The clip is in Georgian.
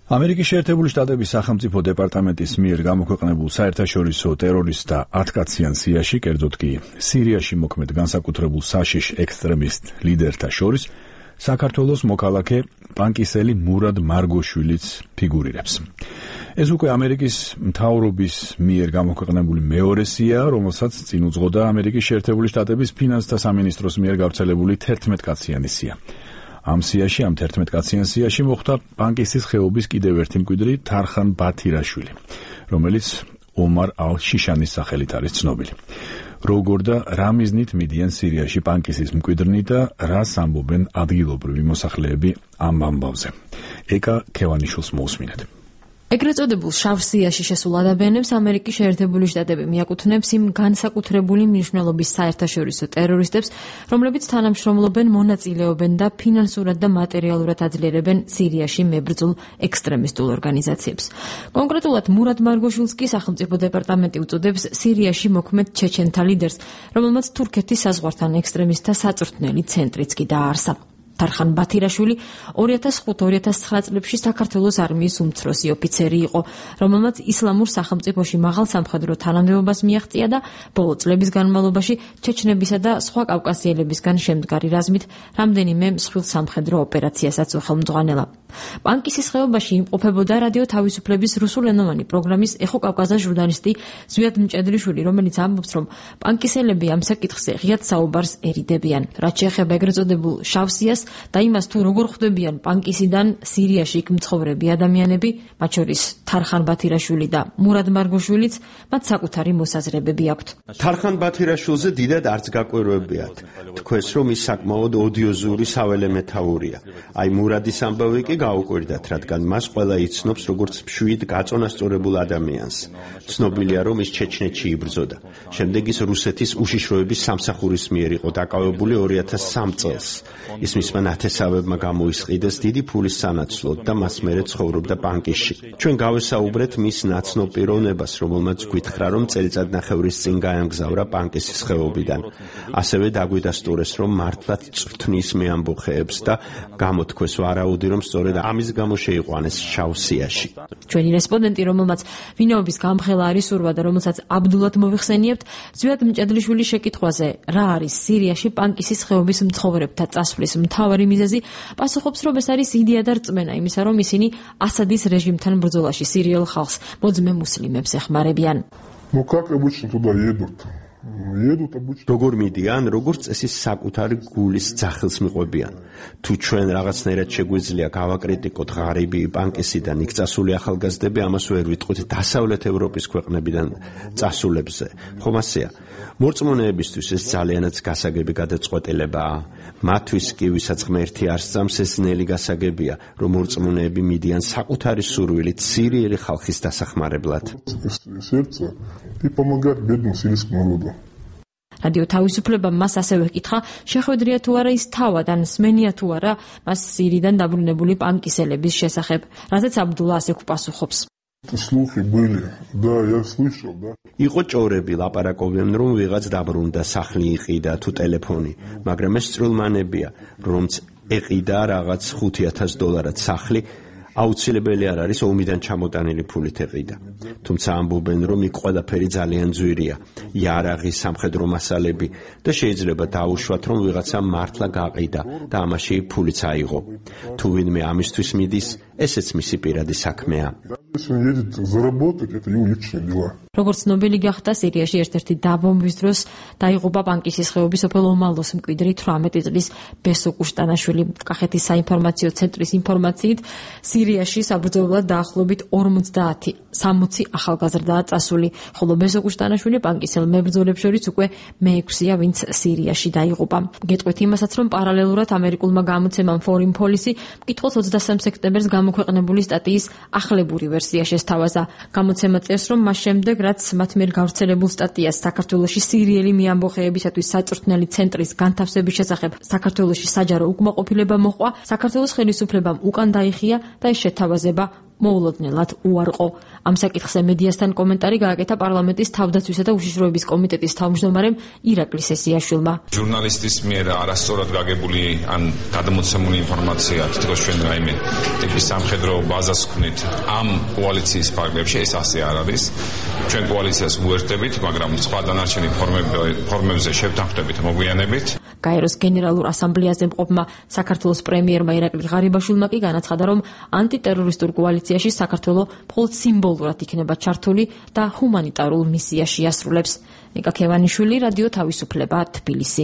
ამერიკის შეერთებული შტატების სახელმწიფო დეპარტამენტის მიერ გამოქვეყნებულ საერთაშორისო ტერორისტთა 10 კაციან სიაში, კერძოდ კი სირიაში მოქმედ განსაკუთრებულ საშიშ ექსტრემისტ ლიდერთა შორის საქართველოს მოქალაქე პანკისელი მურად მარგოშვილიც ფიგურირებს. ეს უკვე ამერიკის მთავრობის მიერ გამოქვეყნებული მეორე სია, რომელსაც წინ უძღოდა ამერიკის შეერთებული შტატების ფინანსთა სამინისტროს მიერ გავრცელებული 11 კაციანი სია. ამ 11 კაციან სიაში მოხვდა პანკისის ხეობის კიდევ ერთი მკვიდრი თარხან ბათირაშვილი, რომელიც ომარ ალ-შიშანის სახელით არის ცნობილი. როგორ და რა მიზნით მიდიან სირიაში პანკისის მკვიდრნი და რას ამბობენ ადგილობრივი მოსახლეები ამ ამბავზე. ეკა ქევანიშვილს მოусმინეთ. ეგრეთ წოდებულ შავ სიაში შესულ ადამიანებს ამერიკის შეერთებული შტატები მიაკუთვნებს იმ განსაკუთრებული მნიშვნელობის საერთაშორისო ტერორისტებს, რომლებიც თანამშრომლობენ, მონაწილეობენ და ფინანსურად და მატერიალურად აძლიერებენ სირიაში მებრძოლ ექსტრემისტულ ორგანიზაციებს. კონკრეტულად მურად მარგოშვილს კი სახელმწიფო დეპარტამენტი უწოდებს სირიაში მოქმედ ჩეჩენთა ლიდერს, რომელმაც თურქეთის საზღვართან ექსტრემისტთა საწვრთნელი ცენტრიც კი დააარსა. თარხან ბათირაშვილი 2005-2009 წლებში საქართველოს არმიის უმცროსი ოფიცერი იყო, რომელმაც ისლამურ სახელმწიფოში მაღალ სამხედრო თანამდებობას მიაღწია და ბოლო წლების განმავლობაში ჩეჩნებისა და სხვა კავკასიელებისგან შემდგარი რაზმით რამდენიმე მსხვილ სამხედრო ოპერაციასაც უხელმძღვანელა. პანკისის ხეობაში იმყოფებოდა რადიო თავისუფლების რუსულენოვანი პროგრამის ეხო კავკაზა ჟურნალისტი ზვიად მჭედლიშვილი, რომელიც ამბობს, რომ პანკისელები ამ საკითხზე ღიად საუბარს ერიდებიან. რაც შეეხება ეგრეთ წოდებულ შავ სიას და იმას თუ როგორ ხვდებიან პანკისიდან სირიაში იქ მცხოვრები ადამიანები, მათ შორის თარხან ბათირაშვილი და მურად მარგოშვილიც, მათ საკუთარი მოსაზრებები აქვთ. თარხან ბათირაშვილზე დიდად არც გაკვირვებიათ. თქვენს რომ ის საკმაოდ ოდიოზური საველე მეთაურია. აი მურადის ამბავი კი გაუკვირდათ, რადგან მას ყველა იცნობს როგორც მშვიდ გაწონასწორებულ ადამიანს. ცნობილია რომ ის ჩეჩნეთში იბრძოდა. შემდეგ ის რუსეთის უშიშროების სამსახურის მიერ იყო დაკავებული 2003 წელს. ის მისმა ნათესავებმა გამოისყიდეს დიდი ფულის სანაცვლოდ და მას მერე ცხოვრობდა პანკისში. ჩვენ გავესაუბრეთ მის ნაცნობ პიროვნებას, რომელმაც გვითხრა, რომ წელიწადნახევრის წინ გაემგზავრა პანკისის ხეობიდან. ასევე დაგვიდასტურეს, რომ მართლაც წვრთნის მეამბოხეებს და გამოთქვეს ვარაუდი, რომ სწორედ ამის გამო შეიყვანეს შავ სიაში. ჩვენი რესპონდენტი, რომელმაც ვინაობის გამხელა არის სურვა და რომელსაც აბდულად მოვიხსენიებთ, ზვიად მჭედლიშვილის შეკითხვაზე, რა არის სირიაში პანკისის ხეობის მცხოვრებთა წასვლის მთავარი მიზეზი, პასუხობს, რომ ეს არის იდეა და რწმენა იმისა, რომ ისინი ასადის რეჟიმთან ბრძოლაში სირიელ ხალხს, მოძმე მუსლიმებს ეხმარებიან. როგორ მიდიან, როგორც წესი საკუთარი გულის ძახილს მიყვებიან. თუ ჩვენ რაღაცნაირად შეგვიძლია გავაკრიტიკოთ ღარიბი პანკისიდან იქ წასული ახალგაზრდები, ამას ვერ ვიტყვით დასავლეთ ევროპის ქვეყნებიდან წასულებზე. ხომ ასეა? მორწმუნეებისთვის ეს ძალიანაც გასაგები გადაწყვეტილებაა. მათთვის კი, ვისაც ღმერთი არ სწამს, ეს ნელი გასაგებია, რომ მორწმუნეები მიდიან საკუთარი სურვილით სირიელი ხალხის დასახმარებლად. რადიო თავისუფლებამ მას ასევე ჰკითხა, შეხვედრია თუ არა ის თავად ან სმენია თუ არა მას სირიდან დაბრუნებული პანკისელების შესახებ, რაზეც აბდულა ასე გვპასუხობს. იყო ჭორები, ლაპარაკობენ, რომ ვიღაც დაბრუნდა, სახლი იყიდა თუ ტელეფონი, მაგრამ ეს წრულმანებია, რომც ეყიდა რაღაც $5,000 სახლი, აუცილებელი არ არის ომიდან ჩამოტანილი ფულით ეყიდა. თუმცა ამბობენ, რომ იქ ყველაფერი ძალიან ძვირია, იარაღი, სამხედრო მასალები და შეიძლება დაუშვათ, რომ ვიღაცა მართლა გაყიდა და ამაში ფულიც აიღო. თუ ვინმე ამისთვის მიდის, ესეც მისი პირადი საქმეა. როგორც ცნობილი გახდა, სირიაში ერთ-ერთი დაბომბვის დროს დაიღუპა პანკისის ხეობის სოფელ ომალოს მკვიდრი 18 წლის ბესო კუშტანაშვილი. კახეთის საინფორმაციო ცენტრის ინფორმაციით, სირიაში საბრძოლველად დაახლოებით 50-60 ახალგაზრდაა წასული, ხოლო ბესო კუშტანაშვილი პანკისელ მებრძოლებს შორის უკვე მე-6-ია, ვინც სირიაში დაიღუპა. გეტყვით იმასაც, რომ პარალელურად ამერიკულმა გამოცემამ Foreign Policy მკითხველს 23 სექტემბერს გამოქვეყნებული სტატიის ახლებური ვერსია შესთავაზა. გამოცემა წერს, რომ მას შემდეგ, რაც მათ მიერ გავრცელებულ სტატიას საქართველოში სირიელი მეამბოხეებისათვის საწვრთნელი ცენტრის განთავსების შესახებ საქართველოში საჯარო უკმაყოფილება მოჰყვა, საქართველოს ხელისუფლებამ უკან დაიხია და ეს შეთავაზება მოულოდნელად უარყო. ამ საკითხზე მედიასთან კომენტარი გააკეთა პარლამენტის თავდაცვისა და უშიშროების კომიტეტის თავმჯდომარემ ირაკლი სესიაშვილმა. ჟურნალისტის მიერ არასწორად გაგებული ან გადამოცემული ინფორმაცია თითქოს ჩვენ რაიმე ტიპის სამხედრო ბაზას ვქნით ამ კოალიციის ფარგლებში, ეს ასე არ არის. ჩვენ კოალიციას უერთდებით, მაგრამ სხვა დანარჩენი ფორმებზე შევთანხმდებით მოგვიანებით. გაეროს გენერალურ ასამბლეაზე მყოფმა საქართველოს პრემიერმა ირაკლი ღარიბაშვილმა კი განაცხადა, რომ ანტიტერორისტულ კოალიციაში საქართველო მხოლოდ სიმბოლურად იქნება ჩართული და ჰუმანიტარულ მისიას შეასრულებს. ნიკა ქევანიშვილი, რადიო თავისუფლება, თბილისი.